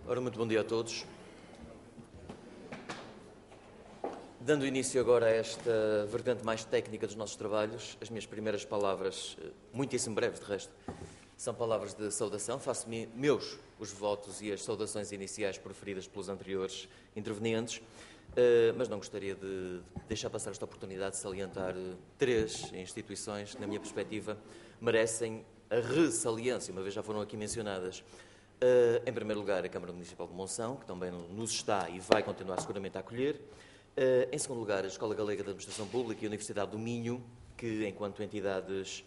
Ora, muito bom dia a todos. Dando início agora a esta vertente mais técnica dos nossos trabalhos, as minhas primeiras palavras, muitíssimo breves de resto, são palavras de saudação. Faço-me meus os votos e as saudações iniciais proferidas pelos anteriores intervenientes, mas não gostaria de deixar passar esta oportunidade de salientar três instituições que, na minha perspectiva, merecem a ressaliência, uma vez já foram aqui mencionadas. Em primeiro lugar, a Câmara Municipal de Monção, que também nos está e vai continuar seguramente a acolher. Em segundo lugar, a Escola Galega de Administração Pública e a Universidade do Minho, que, enquanto entidades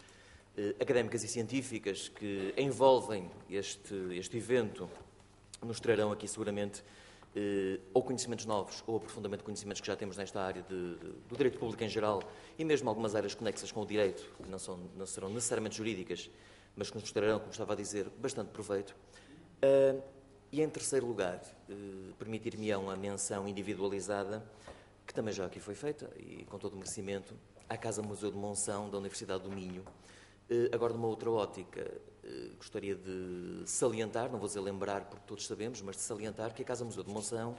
académicas e científicas que envolvem este evento, nos trarão aqui seguramente ou conhecimentos novos ou aprofundamento de conhecimentos que já temos nesta área do direito público em geral e mesmo algumas áreas conexas com o direito, que não serão necessariamente jurídicas, mas que nos trarão, como estava a dizer, bastante proveito. E em terceiro lugar, permitir-me-ão a menção individualizada, que também já aqui foi feita, e com todo o merecimento, à Casa Museu de Monção, da Universidade do Minho. Agora, numa outra ótica, gostaria de salientar, não vou dizer lembrar, porque todos sabemos, mas de salientar que a Casa Museu de Monção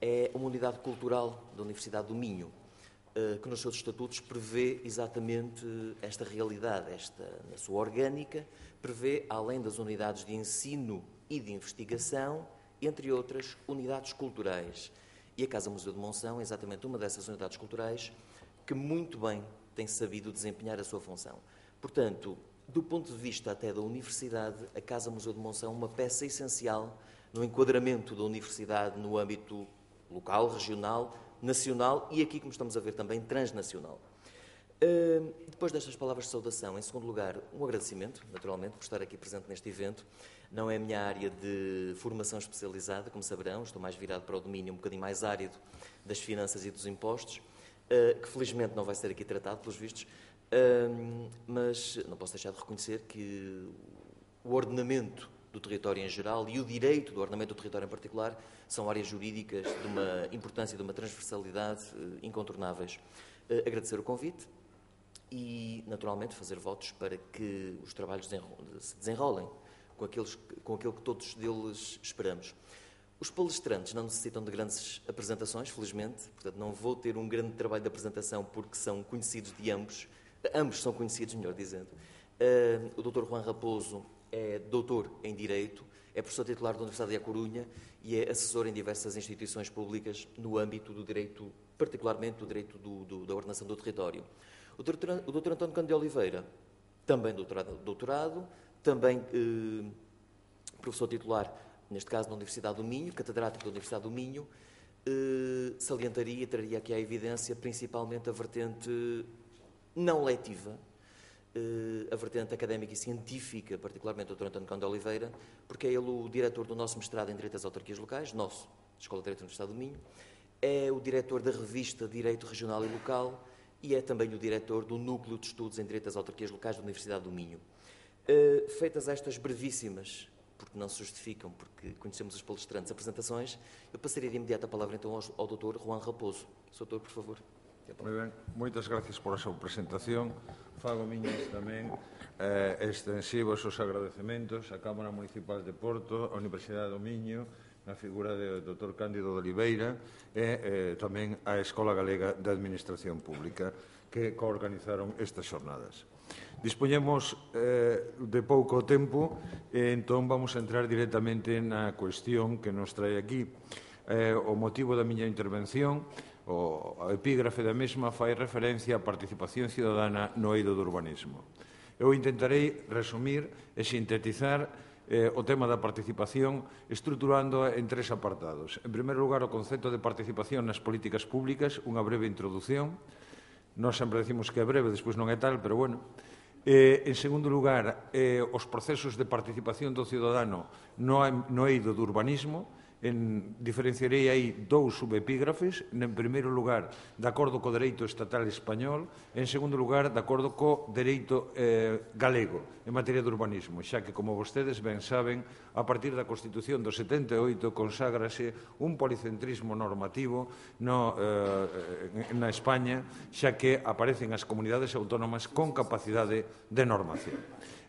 é uma unidade cultural da Universidade do Minho, que nos seus estatutos prevê exatamente esta realidade, na sua orgânica, prevê, além das unidades de ensino e de investigação, entre outras, unidades culturais. E a Casa Museu de Monção é exatamente uma dessas unidades culturais que muito bem tem sabido desempenhar a sua função. Portanto, do ponto de vista até da Universidade, a Casa Museu de Monção é uma peça essencial no enquadramento da Universidade no âmbito local, regional, nacional e aqui, como estamos a ver também, transnacional. Depois destas palavras de saudação, em segundo lugar, um agradecimento, naturalmente, por estar aqui presente neste evento. Não é a minha área de formação especializada, como saberão, estou mais virado para o domínio um bocadinho mais árido das finanças e dos impostos, que felizmente não vai ser aqui tratado, pelos vistos, mas não posso deixar de reconhecer que o ordenamento do território em geral e o direito do ordenamento do território em particular são áreas jurídicas de uma importância e de uma transversalidade incontornáveis. Agradecer o convite e, naturalmente, fazer votos para que os trabalhos se desenrolem com aquilo que todos deles esperamos. Os palestrantes não necessitam de grandes apresentações, felizmente, portanto não vou ter um grande trabalho de apresentação porque são conhecidos de ambos são conhecidos, melhor dizendo. O Dr. Juan Raposo é doutor em Direito, é professor titular da Universidade de A Corunha e é assessor em diversas instituições públicas no âmbito do direito, particularmente do direito da ordenação do território. O Dr. António Cândido de Oliveira, também doutorado, também professor titular, neste caso, na Universidade do Minho, catedrático da Universidade do Minho, salientaria e traria aqui à evidência principalmente a vertente não letiva, a vertente académica e científica, particularmente o Dr. António Cândido de Oliveira, porque é ele o diretor do nosso mestrado em Direito das Autarquias Locais, nosso, Escola de Direito da Universidade do Minho, é o diretor da revista Direito Regional e Local e é também o diretor do Núcleo de Estudos em Direito das Autarquias Locais da Universidade do Minho. Feitas estas brevíssimas, porque não se justificam, porque conhecemos os palestrantes, apresentações, eu passaria de imediato a palavra então ao Dr. Juan Raposo. Doutor, por favor. Moi ben, moitas gracias por a súa presentación. Fago miñas tamén extensivos os agradecementos á Cámara Municipal de Porto, á Universidade do Miño, na figura do Dr. Cándido de Oliveira e tamén á Escola Galega de Administración Pública que coorganizaron estas xornadas. Dispoñemos de pouco tempo e entón vamos a entrar directamente na cuestión que nos trae aquí. O motivo da miña intervención, a epígrafe da mesma, fai referencia á participación cidadana no eido do urbanismo. Eu intentarei resumir e sintetizar o tema da participación estruturando en tres apartados. En primeiro lugar, o concepto de participación nas políticas públicas, unha breve introdución. Nós sempre decimos que é breve, despois non é tal, pero bueno. En segundo lugar, os procesos de participación do cidadano no eido do urbanismo. Diferenciarei aí dous subepígrafes. En primeiro lugar, de acordo co dereito estatal español. En segundo lugar, de acordo co dereito galego en materia de urbanismo, xa que, como vostedes ben saben, a partir da Constitución do 78 conságrase un policentrismo normativo na España, xa que aparecen as comunidades autónomas con capacidade de normación.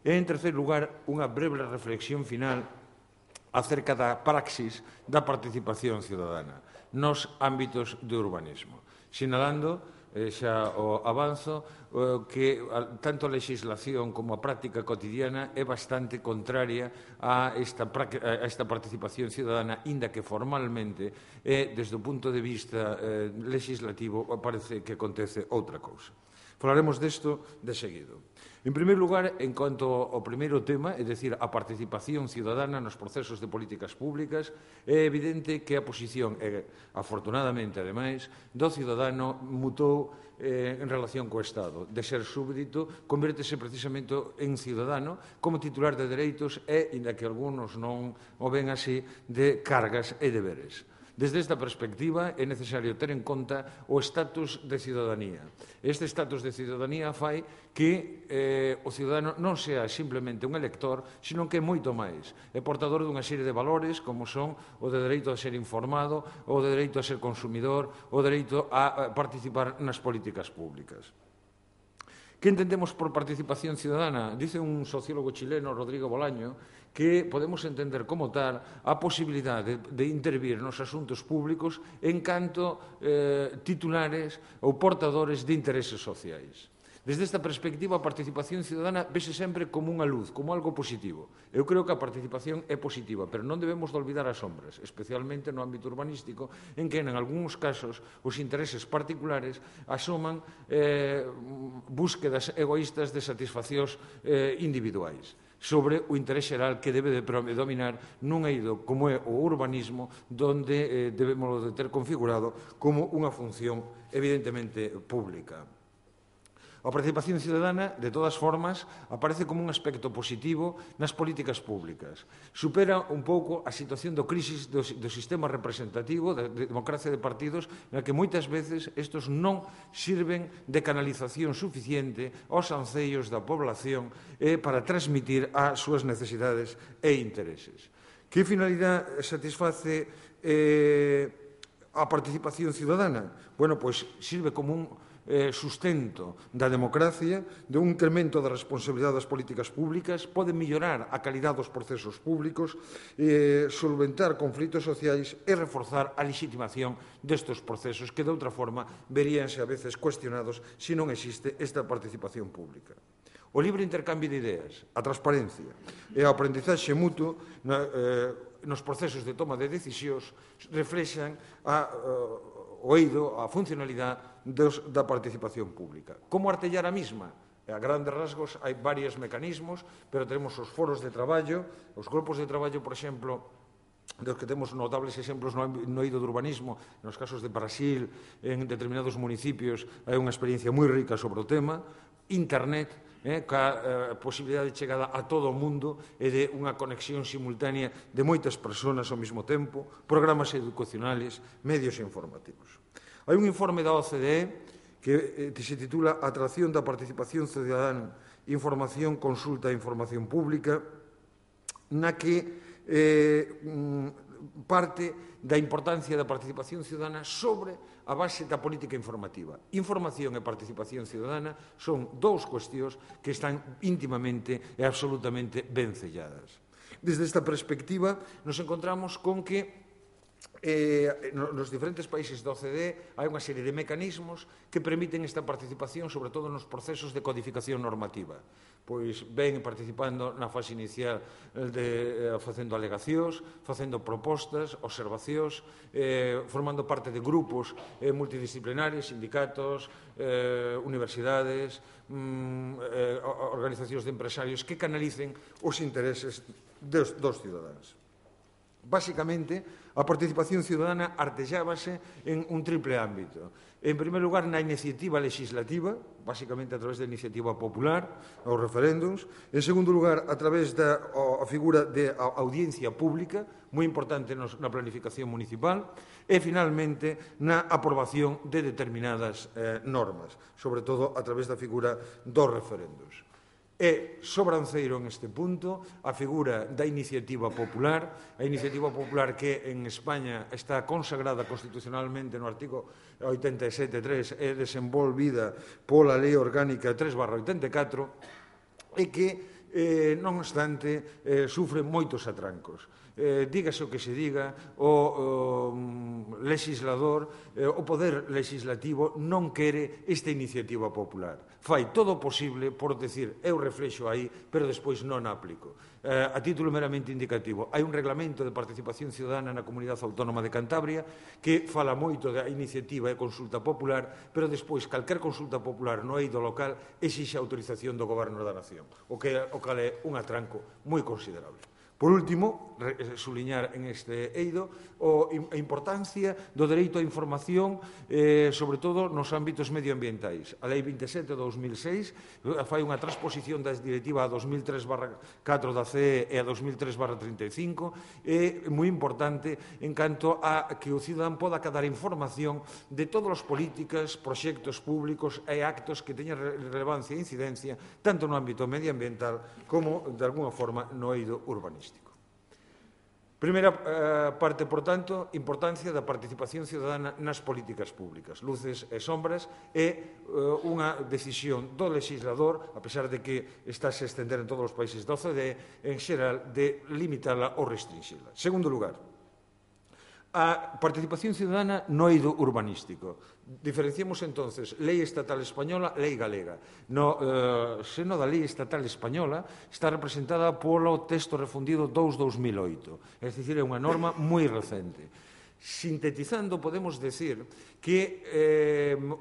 E, en terceiro lugar, unha breve reflexión final acerca da praxis da participación cidadana nos ámbitos do urbanismo, sinalando xa o avanzo que tanto a legislación como a práctica cotidiana é bastante contraria a esta participación cidadana, inda que formalmente desde o punto de vista legislativo parece que acontece outra cousa. Falaremos desto de seguido. En primeiro lugar, en cuanto ao primeiro tema, é dicir, a participación cidadana nos procesos de políticas públicas, é evidente que a posición, afortunadamente, ademais, do cidadano mutou en relación co Estado. De ser súbdito, convértese precisamente en cidadano como titular de dereitos e, inda que algunos non o ven así, de cargas e deberes. Desde esta perspectiva é necesario ter en conta o estatus de cidadanía. Este estatus de cidadanía fai que o cidadano non sea simplemente un elector, sino que é moito máis. É portador dunha serie de valores como son o de dereito a ser informado, o de dereito a ser consumidor, o dereito a participar nas políticas públicas. Que entendemos por participación ciudadana? Dice un sociólogo chileno, Rodrigo Bolaño, que podemos entender como tal a posibilidade de intervir nos asuntos públicos en canto titulares ou portadores de intereses sociais. Desde esta perspectiva, a participación ciudadana vese sempre como unha luz, como algo positivo. Eu creo que a participación é positiva, pero non debemos de olvidar as sombras, especialmente no ámbito urbanístico, en que, en algúns casos, os intereses particulares asoman búsquedas egoístas de satisfaccións individuais sobre o interés xeral que debe de predominar nun eido como é o urbanismo, donde debemos de ter configurado como unha función evidentemente pública. A participación ciudadana, de todas formas, aparece como un aspecto positivo nas políticas públicas. Supera un pouco a situación do crisis do sistema representativo, da democracia de partidos, na que moitas veces estes non sirven de canalización suficiente aos ancellos da población para transmitir as súas necesidades e intereses. Que finalidade satisface a participación ciudadana? Bueno, pois sirve como un sustento da democracia, de un incremento da responsabilidade das políticas públicas, pode mellorar a calidade dos procesos públicos, solventar conflitos sociais e reforzar a legitimación destes procesos que, de outra forma, veríanse a veces cuestionados se non existe esta participación pública. O libre intercambio de ideas, a transparencia e a aprendizaxe mutuo nos procesos de toma de decisións reflexan o eido, a funcionalidade da participación pública. Como artellar a mesma? A grandes rasgos hai varios mecanismos, pero tenemos os foros de traballo, os grupos de traballo, por exemplo, dos que temos notables exemplos no eido do urbanismo, nos casos de Brasil, en determinados municipios, hai unha experiencia moi rica sobre o tema. Internet, ca posibilidade de chegada a todo o mundo e de unha conexión simultánea de moitas persoas ao mesmo tempo, programas educacionales, medios informativos. Hai un informe da OCDE que se titula Atracción da participación ciudadana, información, consulta e información pública, na que parte da importancia da participación ciudadana sobre a base da política informativa. Información e participación ciudadana son dous cuestións que están íntimamente e absolutamente ben selladas. Desde esta perspectiva, nos encontramos con que nos diferentes países da OCDE hai unha serie de mecanismos que permiten esta participación, sobre todo nos procesos de codificación normativa. Pois ven participando na fase inicial facendo alegacións, facendo propostas, observacións, formando parte de grupos multidisciplinarios, sindicatos, universidades, organizacións de empresarios que canalicen os intereses dos cidadáns. Básicamente, a participación ciudadana artellábase en un triple ámbito. En primer lugar, na iniciativa legislativa, básicamente a través da iniciativa popular, os referéndums. En segundo lugar, a través da figura de audiencia pública, moi importante na planificación municipal. E, finalmente, na aprobación de determinadas normas, sobre todo a través da figura dos referéndums. É sobranceiro en este punto a figura da iniciativa popular, a iniciativa popular que en España está consagrada constitucionalmente no artigo 87.3 e desenvolvida pola Lei Orgánica 3/84 e que non obstante, sufre moitos atrancos. Dígase o que se diga, o legislador, o poder legislativo non quere esta iniciativa popular. Fai todo o posible por decir, eu reflexo aí, pero despois non aplico. A título meramente indicativo, hai un reglamento de participación ciudadana na Comunidade Autónoma de Cantabria que fala moito da iniciativa e consulta popular, pero despois calquer consulta popular no eido local exixe a autorización do Goberno da Nación, o cal é un atranco moi considerable. Por último, subliñar en este eido a importancia do dereito á información, sobre todo nos ámbitos medioambientais. A Lei 27/2006 fai unha transposición da Directiva 2003/4 da CE e a 2003/35, é moi importante en canto a que o cidadán poda acadar información de todas as políticas, proxectos públicos e actos que teñan relevancia e incidencia tanto no ámbito medioambiental como, de alguna forma, no eido urbanístico. Primeira parte, por tanto, importancia da participación ciudadana nas políticas públicas. Luces e sombras é unha decisión do legislador, a pesar de que está a estender en todos os países da OCDE, en xeral, de limitala ou restringila. Segundo lugar, a participación ciudadana no eido urbanístico. Diferenciamos, entonces, lei estatal española, lei galega. No seno da lei estatal española está representada polo texto refundido 2/2008, é dicir, é unha norma moi recente. Sintetizando, podemos decir que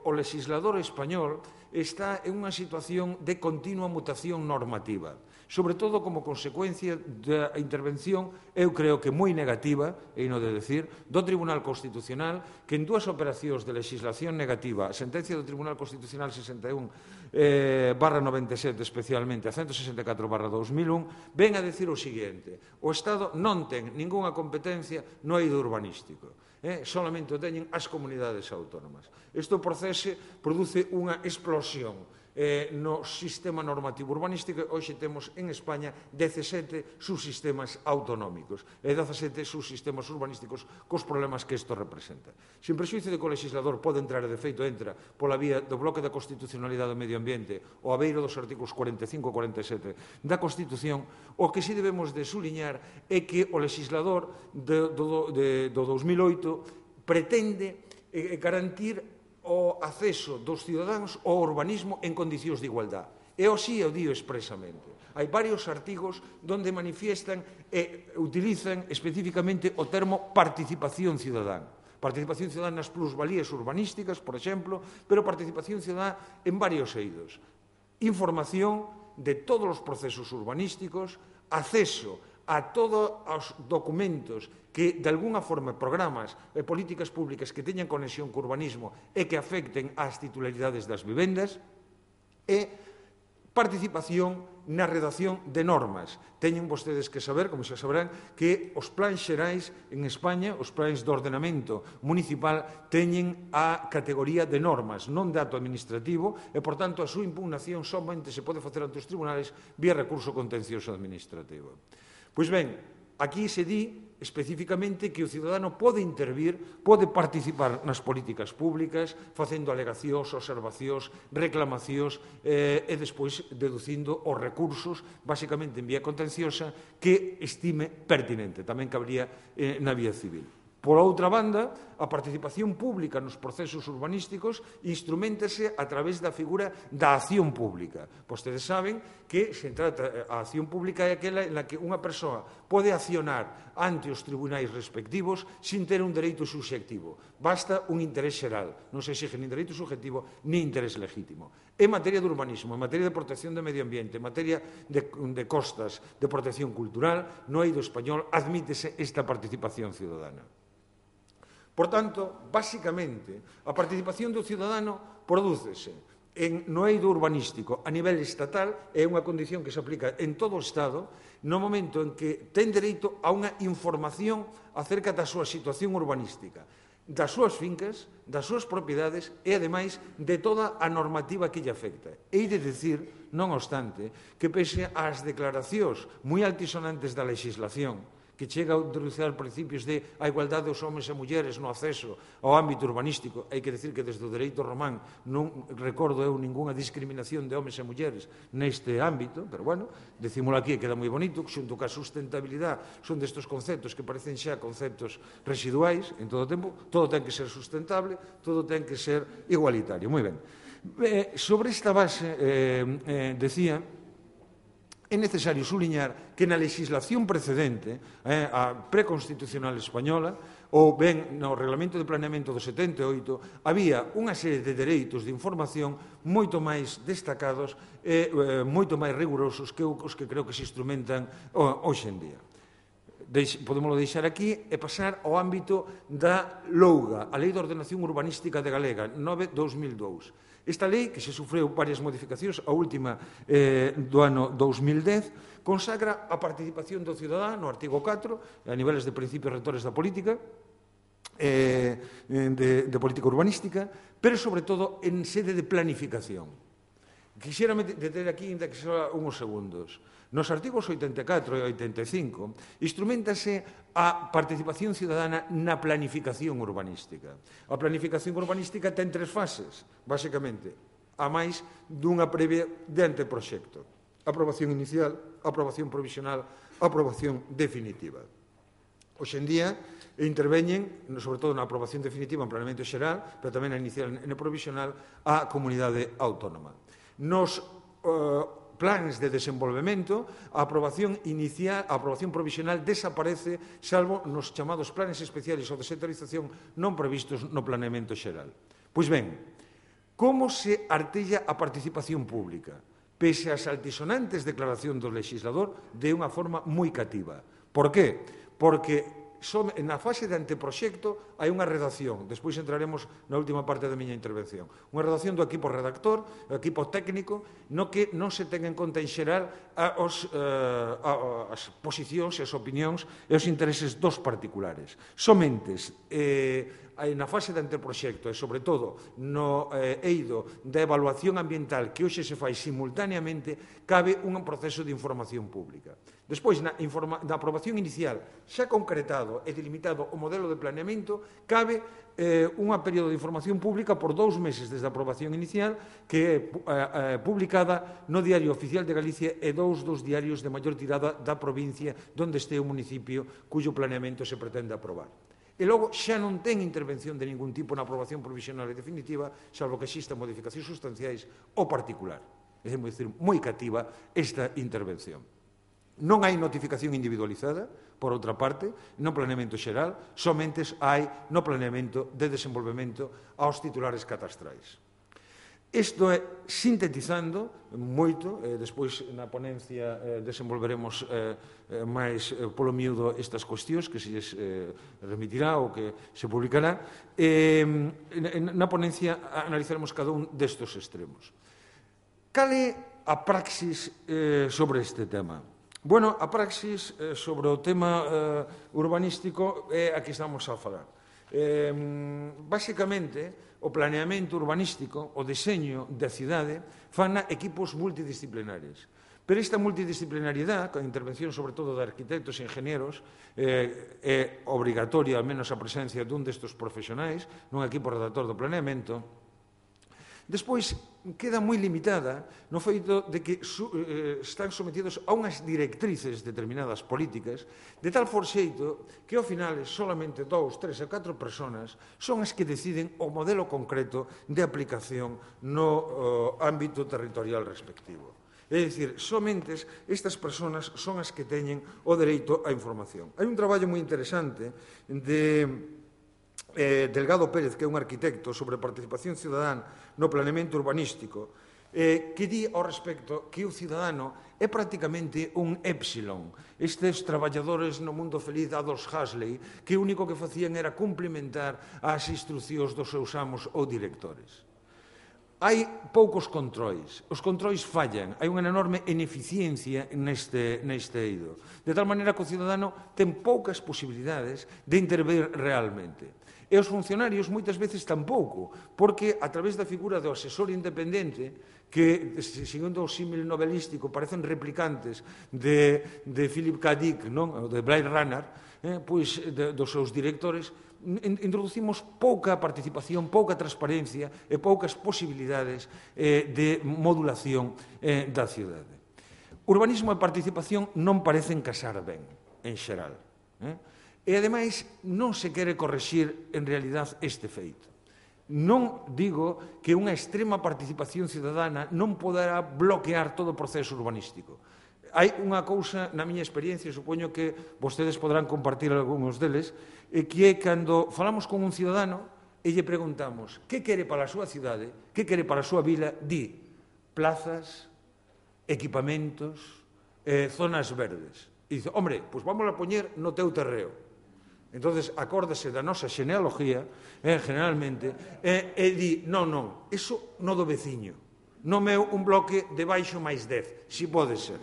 o legislador español está en unha situación de continua mutación normativa, sobre todo como consecuencia da intervención, eu creo que moi negativa, e non de decir, do Tribunal Constitucional, que en dúas operacións de legislación negativa, a sentencia do Tribunal Constitucional 61/97, especialmente a 164/2001, ven a decir o seguinte: o Estado non ten ningunha competencia no eido urbanístico. Solamente o teñen as comunidades autónomas. Isto produce unha explosión no sistema normativo urbanístico. Hoxe temos en España 17 subsistemas autonómicos e 17 subsistemas urbanísticos cos problemas que isto representa. Sin prexuízo de que o legislador pode entrar, e de feito entra, pola vía do bloque da constitucionalidade do medio ambiente ou a beiro dos artigos 45 e 47 da Constitución, o que si debemos de suliñar é que o legislador do 2008 pretende garantir o acceso dos cidadáns ao urbanismo en condicións de igualdade. E así o dio expresamente. Hai varios artigos onde manifiestan e utilizan especificamente o termo participación cidadán. Participación cidadá nas plusvalías urbanísticas, por exemplo, pero participación cidadá en varios eidos. Información de todos os procesos urbanísticos, acceso a todos os documentos que, de alguna forma, programas e políticas públicas que teñan conexión co urbanismo e que afecten ás titularidades das vivendas, e participación na redacción de normas. Teñen vostedes que saber, como xa saberán, que os plans xerais en España, os plans de ordenamento municipal, teñen a categoría de normas, non de acto administrativo, e, por tanto, a súa impugnación somente se pode facer ante os tribunales vía recurso contencioso administrativo. Pois ben, aquí se di especificamente que o cidadano pode intervir, pode participar nas políticas públicas, facendo alegacións, observacións, reclamacións e despois deducindo os recursos, basicamente en vía contenciosa, que estime pertinente. Tamén cabría na vía civil. Por outra banda, a participación pública nos procesos urbanísticos instruméntase a través da figura da acción pública. Vostedes saben que se trata, a acción pública é aquela en la que unha persoa pode accionar ante os tribunais respectivos sin ter un dereito subxectivo. Basta un interés xeral, non se exige nin dereito subjetivo nin interés legítimo. En materia de urbanismo, en materia de protección do medio ambiente, en materia de costas, de protección cultural, no eido español admítese esta participación ciudadana. Por tanto, basicamente, a participación do cidadano prodúcese no eido urbanístico a nivel estatal, é unha condición que se aplica en todo o Estado, no momento en que ten dereito a unha información acerca da súa situación urbanística, das súas fincas, das súas propiedades e, ademais, de toda a normativa que lle afecta. Hei de decir, non obstante, que pese ás declaracións moi altisonantes da legislación, que chega a introducir principios de a igualdade dos homens e mulleres no acceso ao ámbito urbanístico. Hai que decir que desde o dereito román non recordo eu ninguna discriminación de homens e mulleres neste ámbito, pero bueno, decímolo aquí e queda moi bonito, xunto ca sustentabilidade son destes conceptos que parecen xa conceptos residuais en todo o tempo, todo ten que ser sustentable, todo ten que ser igualitario. Moi ben. Sobre esta base, decía, é necesario suliñar que na legislación precedente, a preconstitucional española, ou ben no Reglamento de Planeamento do 78, había unha serie de dereitos de información moito máis destacados e moito máis rigurosos que os que creo que se instrumentan hoxe en día. Podémoslo deixar aquí e pasar ao ámbito da LOUGA, a Lei de Ordenación Urbanística de Galega, 9/2002. Esta lei, que se sufreu varias modificacións, a última do ano 2010, consagra a participación do cidadán no artigo 4, a niveles de principios rectores da política, de política urbanística, pero, sobre todo, en sede de planificación. Quixera deter aquí, ainda que só uns segundos. Nos artigos 84 e 85 instrumentase a participación cidadana na planificación urbanística. A planificación urbanística ten 3 fases, basicamente, a máis dunha previa de anteproxecto. Aprobación inicial, aprobación provisional, aprobación definitiva. Hoxe en día interveñen, sobre todo na aprobación definitiva en planeamento xeral, pero tamén na inicial e na provisional, a comunidade autónoma. Nos plans de desenvolvemento, a aprobación inicial, a aprobación provisional desaparece, salvo nos chamados planes especiales ou de sectorización non previstos no planeamento xeral. Pois ben, como se artella a participación pública? Pese ás altisonantes declaracións do legislador, de unha forma moi cativa. Por qué? Porque na fase de anteproxecto hai unha redacción, despois entraremos na última parte da miña intervención, unha redacción do equipo redactor, do equipo técnico, no que non se ten en conta en xeral as posicións e as opinións e os intereses dos particulares. Somentes na fase de anteproxecto e, sobre todo, no eido da evaluación ambiental que hoxe se fai simultaneamente, cabe un proceso de información pública. Despois, na aprobación inicial, xa concretado e delimitado o modelo de planeamento, cabe un período de información pública por 2 meses desde a aprobación inicial, que é publicada no Diario Oficial de Galicia e 2 dos diarios de maior tirada da provincia onde este o municipio cuyo planeamento se pretende aprobar. E logo xa non ten intervención de ningún tipo na aprobación provisional e definitiva, salvo que existan modificacións sustanciais ou particular. É dicir, moi cativa esta intervención. Non hai notificación individualizada, por outra parte, no planeamento xeral, somente hai no planeamento de desenvolvemento aos titulares catastrais. Isto é, sintetizando moito, despois na ponencia desenvolveremos máis polo miúdo estas cuestións que se lles remitirá ou que se publicará. Na ponencia analizaremos cada un destes extremos. Cal é a praxis sobre este tema? Bueno, a praxis sobre o tema urbanístico é a que estamos a falar. Básicamente, o planeamento urbanístico, o deseño da cidade, fan equipos multidisciplinares. Pero esta multidisciplinariedade, con a intervención sobre todo de arquitectos e ingenieros, é obrigatoria, ao menos, a presencia dun destes profesionais nun equipo redactor do planeamento. Despois, queda moi limitada no feito de que están sometidos a unhas directrices determinadas políticas, de tal forxeito que, ao final, solamente 2, 3 ou 4 persoas son as que deciden o modelo concreto de aplicación no ámbito territorial respectivo. É dicir, somente estas persoas son as que teñen o dereito á información. Hai un traballo moi interesante de Delgado Pérez, que é un arquitecto, sobre participación cidadán no planeamento urbanístico, que di ao respecto que o cidadano é prácticamente un épsilon. Estes traballadores no mundo feliz de Aldous Huxley, que o único que facían era cumplimentar as instruccións dos seus amos ou directores. Hai poucos controis, os controis fallan, hai unha enorme ineficiencia neste eido, de tal maneira que o cidadano ten poucas posibilidades de intervir realmente. E os funcionarios moitas veces tampouco, porque a través da figura do asesor independente, que, segundo o símil novelístico, parecen replicantes de Philip K. Dick, non? De Blade Runner, pois dos seus directores, introducimos pouca participación, pouca transparencia e poucas posibilidades de modulación da cidade. Urbanismo e participación non parecen casar ben, en xeral. E, ademais, non se quere correxir, en realidad, este feito. Non digo que unha extrema participación cidadana non poderá bloquear todo o proceso urbanístico. Hai unha cousa, na miña experiencia, supoño que vostedes poderán compartir algúns deles, que é cando falamos con un cidadano e lle preguntamos que quere para a súa cidade, que quere para a súa vila, di plazas, equipamentos, zonas verdes. E dice, hombre, pois vamos a poñer no teu terreo. Entonces, acórdase da nosa xenealogía, generalmente, e di, non, eso no do veciño, no meu un bloque de baixo máis 10, si pode ser.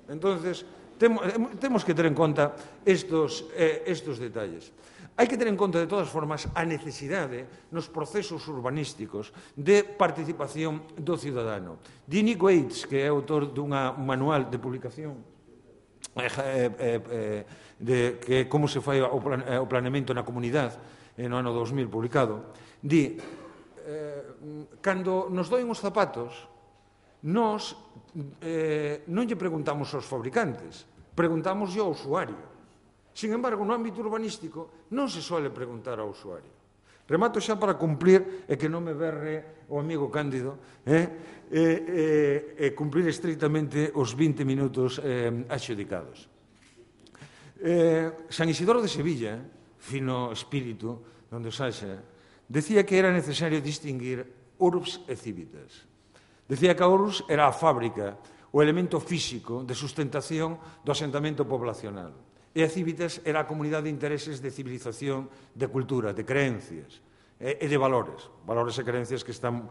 Entonces, temos que ter en conta estos detalles. Hai que ter en conta, de todas formas, a necesidade nos procesos urbanísticos de participación do cidadano. Nick Waits, que é autor dun manual de publicación que como se fai o planeamento na comunidade no ano 2000 publicado, di cando nos doen os zapatos nos non lle preguntamos aos fabricantes, preguntamos ao usuario. Sin embargo, no ámbito urbanístico non se suele preguntar ao usuario. Remato xa para cumplir e que non me berre o amigo Cándido cumplir estritamente os 20 minutos adxudicados. San Isidoro de Sevilla, fino espírito, donde os haxa, decía que era necesario distinguir urbs e civitas. Decía que a urbs era a fábrica, o elemento físico de sustentación do asentamento poblacional. E a civitas era a comunidade de intereses de civilización, de cultura, de creencias e de valores. Valores e creencias que están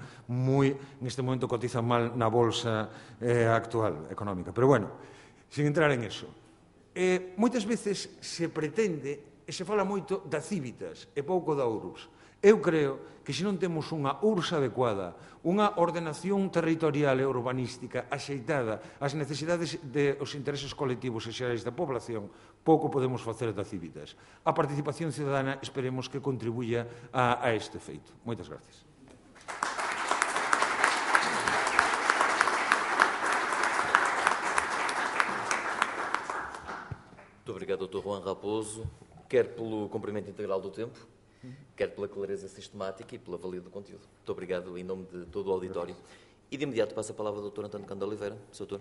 neste momento cotizan mal na bolsa actual económica. Pero bueno, sin entrar en eso. Moitas veces se pretende e se fala moito da civitas e pouco da urbs. Eu creo que se non temos unha URSS adecuada, unha ordenación territorial e urbanística axeitada ás necesidades dos intereses colectivos e xerais da población, pouco podemos facer da civitas. A participación cidadana esperemos que contribuya a este feito. Moitas gracias. Muito obrigado, Dr. Juan Raposo, quer pelo cumprimento integral do tempo, quer pela clareza sistemática e pela valia do conteúdo. Muito obrigado em nome de todo o auditório. E de imediato passo a palavra ao Dr. António Cândido Oliveira, Sr. Doutor.